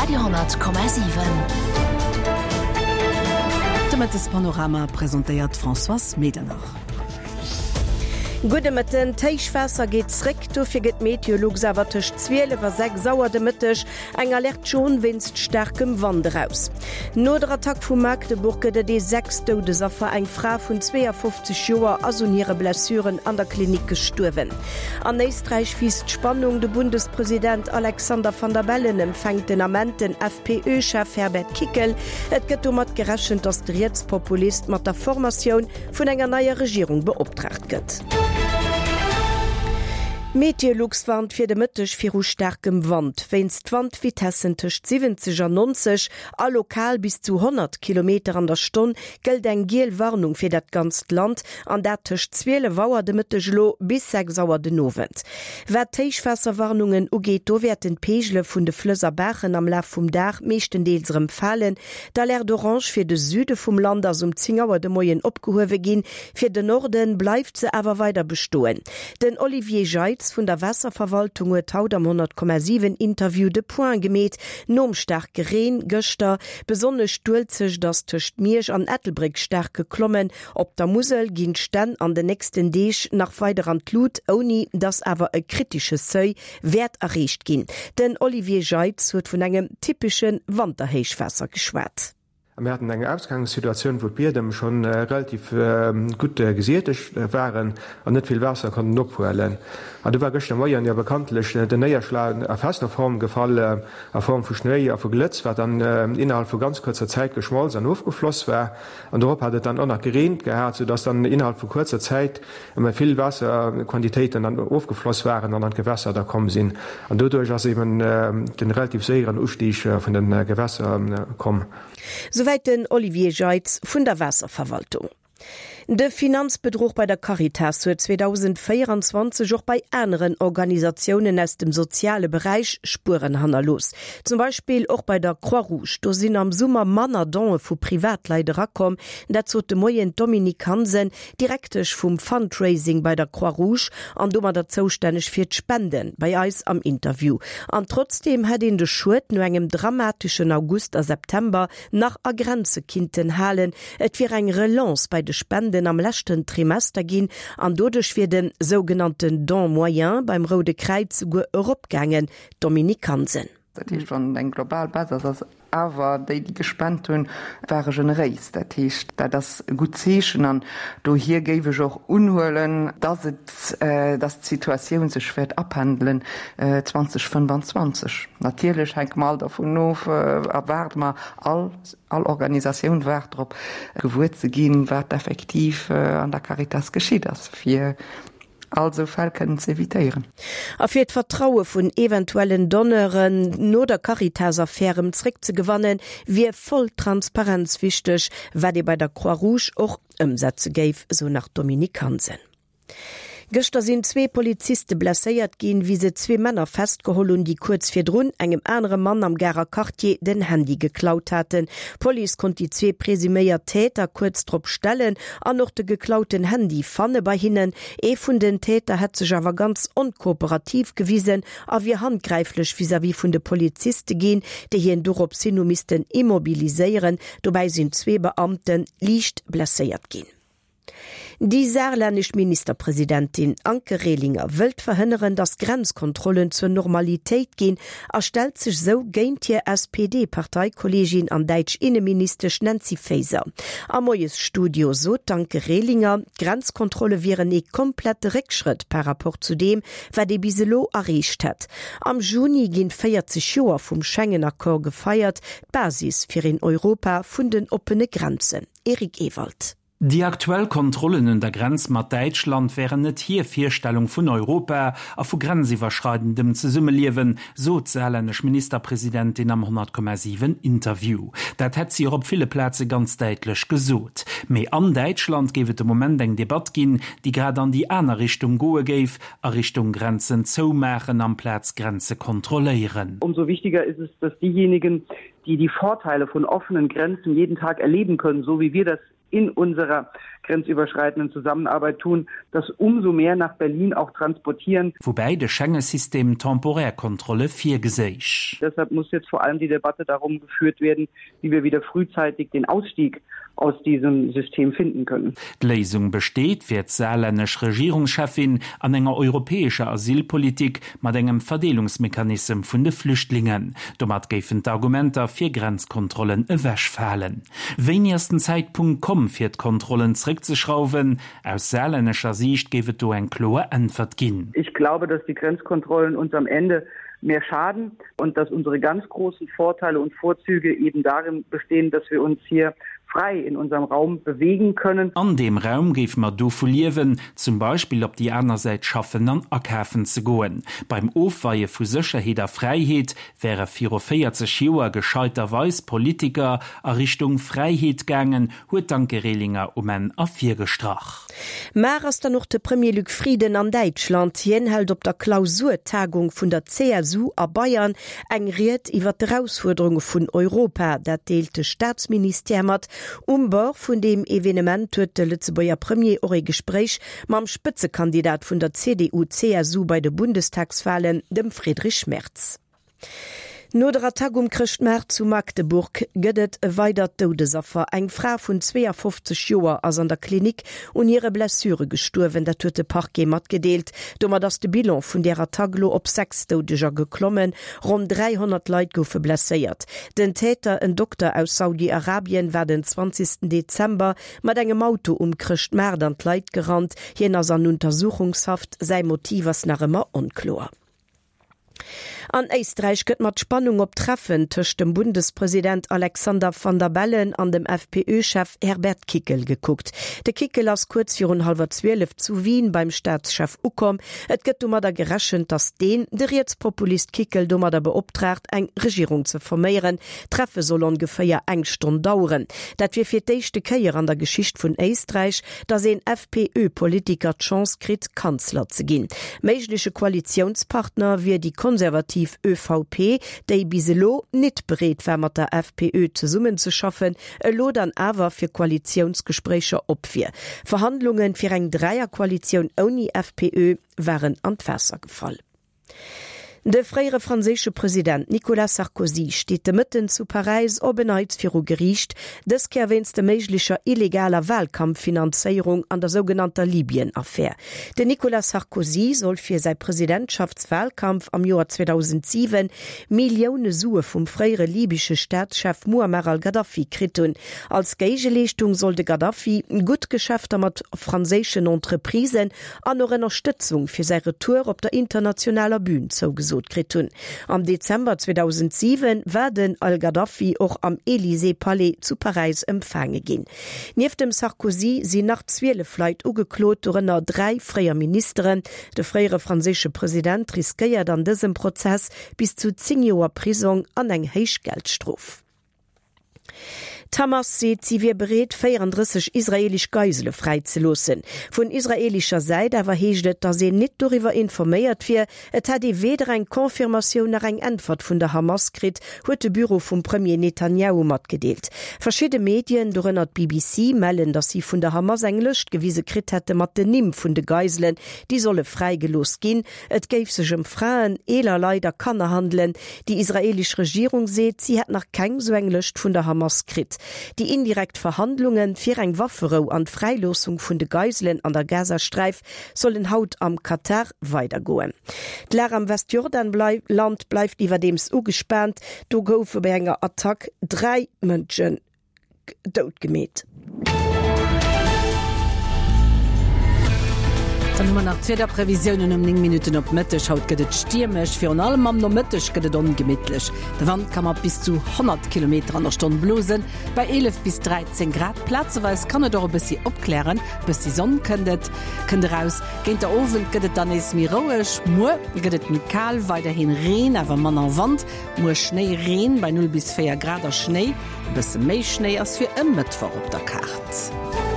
Radio 10,7. De Mëttespanorama presentéiert d'Françoise Medernach. Gudde Mëtten. D'Héichwaasser geet zréck, dofir gëtt Meteolux awer tëscht 12 a 6 Auer de Mëtteg eng Alerte jaune wéinst staarkem Wand eraus. No der Attack vu Magdeburg gëtt et ee sechst Doudesaffer. Eng Fra vun 52 Joer ass un hire Blessuren an der Klinik gestuerwen. An Éisträich wiisst d'Spannung, De Bundespresident Alexander Van der Bellen empfänkt den Ament den FPÖ-Chef Herbert Kickl. Et gëtt domat gerechent, datt de Rietspopulist mat der Formatioun vun enger neier Regierung beoptraagt gëtt. Meteolux warnt fir de Mëtteg viru staarkem Wand. Wéinst Wandvitessen tëscht 70 an 90 a lokal bis zu 100 Kilometer an der Stonn gëllt eng giel Warnung fir dat ganzt Land, an dat tëscht 12 Auer de Mëtteg elo bis 6 Auer den Owend. Wat d'Héichwaasserwarnungen ugeet, do wäerten d'Peegele vun de Flëss a Baachen am Laf vum Dag meeschtendeels erëm falen. D'Alerte orange fir de Süde vum Land ass um 10 Auer de Moien opgehuewe ginn. Fir den Norde bleift se awer weider bestoen. Den Olivier Jeitz vun der Waasserverwaltung huet haut am 100,7 Interview de Point gemeet nom staarke Reen gëschter. Besonnesch d'Uelzecht ass tëscht Miersch an Ettelbréck staark geklommen. Op der Musel ginn d'Stänn an den nächsten Deeg nach weider an d'Lut, ouni datt awer e kritesche Seuil wäert erreecht ginn. Den Olivier Jeitz huet vun engem typesche Wanterhéichwaasser geschwat. A mir haten eng Ausgangssituatioun, wou d'Biedem scho relativ gutt gesietegt waren an net vill Waasser konnten ophuelen. An du war gëschter Moien jo bekanntlech den Néierschlag a fester Form gefall, a Form vu Schnéi a vu Glëtz, wat dann innerhalb vu ganz kuerzer Zäit geschmolz an ofgefloss war. An dorop hat et dann och nach gereent gehat, soudass dann innerhalb vu kuerzer Zäit Ëmmer vill Waasserquantitéiten dann ofgefloss waren an an d'Gewässer da komm sinn. An doduerch ass eben de relativ séieren Ustieg vun de Gewässer komm. Souwäit den Olivier Jeitz vun der Waasserverwaltung. De Finanzbedruch bei der Caritas huet 2024 och bei aneren Organisatiounen aus dem soziale Beräich Spueren hannerlooss. Zum Beispill och bei der Croix-Rouge. Do sinn am Summer manner Donë vu Privatleit erakomm. Dat sot de Moien d'Dominique Hansen, Direktesch vum Fundraising bei der Croix Rouge an domadder zoustänneg fir d'Spenden, bei eis am Interview. An trotzdeem hätt een de Schued no engem dramateschen August a September nach a Grenze kinnten halen. Et wier eng Relance bei de Spenden am leschten Trimester ginn an doduerch wier de sougenannten Don moyen beim Roude Kräiz souguer eropgaangen. Dominique Hansen. Dat heescht, wann et eng global Baisse ass, ass awer déi, déi gespent hunn, ware generéis. Dat heescht, dat ass e gutt Zeechen an dohier géif ech och unhuelen, dass et, dass d'Situatioun sech wäert apendelen 2025. Natierlech hänke mer all dervun of a waarde mer all, all Organisatioun waart drop, gewuer ze ginn, wat effektiv an der Caritas geschitt ass, fir all sou Fäll kënnen ze evitéieren. A fir d'Vertraue vun eventuellen Donneuren no der Caritas-Affär erëm zréckzegewannen, wier voll Transparenz wichteg, wat ee bei der Croix-Rouge och ëmsetze géif, esou nach d'Dominique Hansen. Gëschter sinn zwee Poliziste blesséiert ginn, wéi se zwee Männer festgeholl hunn, déi kuerz virdrun engem anere Mann am Garer Quartier den Handy geklaut haten. D'Police konnt déi zwee presuméiert Täter kuerz drop stellen an och de geklauten Handy fanne bei hinnen. Ee vun den Täter hätt sech awer ganz onkooperativ gewisen a wier handgräiflech vis-à-vis vun de Poliziste ginn, déi hien dorops hin hu missten immobiliséieren. Dobäi sinn zwee Beamte liicht blesséiert ginn. Déi saarlännesch Ministerpresidentin Anke Rehlinger wëllt verhënneren, datt Grenzkontrollen zur Normalitéit ginn a stellt sech sou géint hir SPD-Parteikolleegin an däitsch Inneministesch Nancy Faeser. Am Moiesstudio sot d'Anke Rehlinger, d'Grenzkontrolle wieren ee komplette Réckschrëtt par rapport zu deem, wat ee bis elo erreecht hätt. Am Juni ginn 40 Joer vum Schengen-Accord gefeiert, d'Basis fir een Europa vun den oppene Grenzen. Eric Ewald. Déi aktuell Kontrollen un der Grenz mat Däitschland wären net hir Virstellung vun Europa a vu grenziwwerschreidendem Zesummeliewen, sot d'saarlännesch Ministerpresidentin am 100,7 Interview. Dat hätt si och op ville Plaze ganz däitlech gesot. Mee an Däitschland géif et de Moment eng Debatt ginn, déi grad an déi aner Richtung goe géif, a Richtung Grenzen zoumaachen amplaz Grenze kontrolléieren. Umso wichtiger ist es, dass diejenigen, die die Vorteile von offenen Grenzen jeden Tag erleben können, so wie wir das in unserer. grenzüberschreitenden Zusammenarbeit tun, das umso mehr nach Berlin auch transportieren. Woubäi de Schengesystem temporär Kontrolle virgeséich. Deshalb muss jetzt vor allem die Debatte darum geführt werden, wie wir wieder frühzeitig den Ausstieg aus diesem System finden können. D'Léisung besteet, fir d'saarlännesch Regierungscheffin, an enger europäescher Asylpolitik mat engem Verdeelungsmechanissem vun de Flüchtlingen. Domat géifen d'Argumenter fir Grenzkontrollen ewechfalen. Wéini ass den Zäitpunkt komm, fir d'Kontrollen zréckzeschrauwen? Aus saarlännescher Siicht géif et do eng kloer Äntwert ginn. Ich glaube, dass die Grenzkontrollen uns am Ende mehr schaden und dass unsere ganz großen Vorteile und Vorzüge eben darin bestehen, dass wir uns hier frei in unserem Raum bewegen können. An deem Raum géife mer dovu liewen, zum Beispill op déi aner Säit schaffen an akafen ze goen. Beim Ofweie vu Sécherheet a Fräiheet wäre viru 40 Joer gescheiterweis Politiker a Richtung Fräiheet gaangen, huet d'Anke Rehlinger um Enn ervirgestrach. Mar ass dann och de Premier Luc Frieden an Däitschland. Hien hält op der Klausurtagung vun der CSU a Bayern eng Ried iwwer d'Erausfuerderunge vun Europa. Dat deelt de Staatsministère mat. Um Bord vun deem Evenement huet de Lëtzebuerger Premier och ee Gespréich mam Spëtzekandidat vun der CDU-CSU bei de Bundestagswalen, dem Friedrich Merz. No der Attack um Chrëschtmaart zu Magdeburg gëtt et e weidert Doudesaffer. Eng Fra vun 52 Joer ass an der Klinik un hire Blessure gestuerwen, dat huet de Parquet matgedeelt. Domat ass de Bilan vun där Attack elo op 6 Doudeger geklommen. Ronn 300 Leit goufe blesséiert. Den Täter, en Dokter aus Saudi-Arabien, war den 20 Dezember mat engem Auto um Chrëschtmaart an d'Leit gerannt. Hien ass an Untersuchungshaft, säi Motiv ass nach ëmmer onkloer. An Éisträich gëtt mat Spannung op d'Treffen tëscht dem Bundespresident Alexander Van der Bellen an dem FPÖ-Chef Herbert Kickl gekuckt. De Kickl ass kuerz virun hallwer 12 zu Wien beim Staatschef ukomm. Et gëtt domadder gerechent, datt deen de Rietspopulist Kickl domadder beoptraagt, eng Regierung ze forméieren. D'Treffe soll ongeféier eng Stonn daueren. Dat wier fir d'éischte Kéier an der Geschicht vun Éisträich, datt een FPÖ-Politiker d'Chance kritt, Kanzler ze ginn. Méigleche Koalitiounspartner wier déi konservativ ÖVP, déi bis elo nit bereet war mat der FPÖ zesummenzeschaffen, elo dann awer fir Koalitiounsgespréicher op wier. Verhandlunge fir eng Dräierkoalitioun ouni FPÖ waren an d'Waasser gefall. De fréiere franséische President Nicolas Sarkozy steet de Mëtten zu Paräis op en Neits viru Geriicht, dës Kéier wéinst der méiglecher illegaler Walkampffinanzéierung an der sougenannter Libyen-Affär. Den Nicolas Sarkozy soll fir säi Presidentschaftswalkampf am Joer 2007 Millioune Sue vum fréiere libysche Staatschef Muammar al-Gaddafi kritt hunn. Als Géigeleeschtung soll de Gaddafi gutt Geschäfter mat franséischen Entreprisen an och Ënnerstëtzung fir säi Retour op der internationaler Bün zougesot kritt hunn. Am Dezember 2007 war den al-Gaddafi och am Elysée-Palais zu Paräis empfaange ginn. Nieft dem Sarkozy sinn nach 12 Leit ugeklot, dorënner 3 fréier Ministeren. De fréiere franséische President riskéiert an dësem Prozess bis zu 10 Joer Prisong an eng héich Geldstrof. D'Hamas seet, si wier bereet, 34 israeelesch Geisele fräizeloossen. Vun israeelescher Säit awer heescht et, datt een nit doriwwer informéiert wier. Et hätt ee weder eng Confirmatioun nach eng Äntwert vun der Hamas kritt, huet de Büro vum Premier Netanjahu matgedeelt. Verschidde Medien, dorënner d'BBC, mellen, datt si vun der Hamas eng Lëscht gewise kritt hätte mat den Nimm vun de Geiselen, déi solle fräigelooss ginn. Et géif sech ëm Fraen, eeler Leit a Kanner handelen. Déi israeelesch Regierung seet, si hätt nach keng sou eng Lëscht vun der Hamas kritt. Déi indirekt Verhandlunge fir eng Wafferou an d'Fräiloossung vun de Geiselen an der Gazasträif sollen haut am Katar weidergoen. D'Lag am Westjordanland bleift iwwerdeems ugespaant. Do goufe bei enger Attack 3 Mënschen dout gemeet. Dann hu mer nach d'Wiederprevisiounen um 9 Minutten op Mëtteg. Haut gëtt et stiermesch, virun allem am Nomëtteg gëtt et ongemittlech. De Wand ka mat bis zu 100 Kilometer an der Stonn blosen, bei 11 bis 13 Grad. Plazeweis kann et och e bëssi opklären, e bëssi Sonn kënnt et kënnt eraus. Géint der Owend gëtt et dann nees méi roueg. Muer gëtt et méi kal, weiderhin Reen, awer manner Wand. Muer Schnéi, Reen bei 0 bis 4 Grad a Schnéi. E bësse méi Schnéi ass fir e Mëttwoch op der Kaart.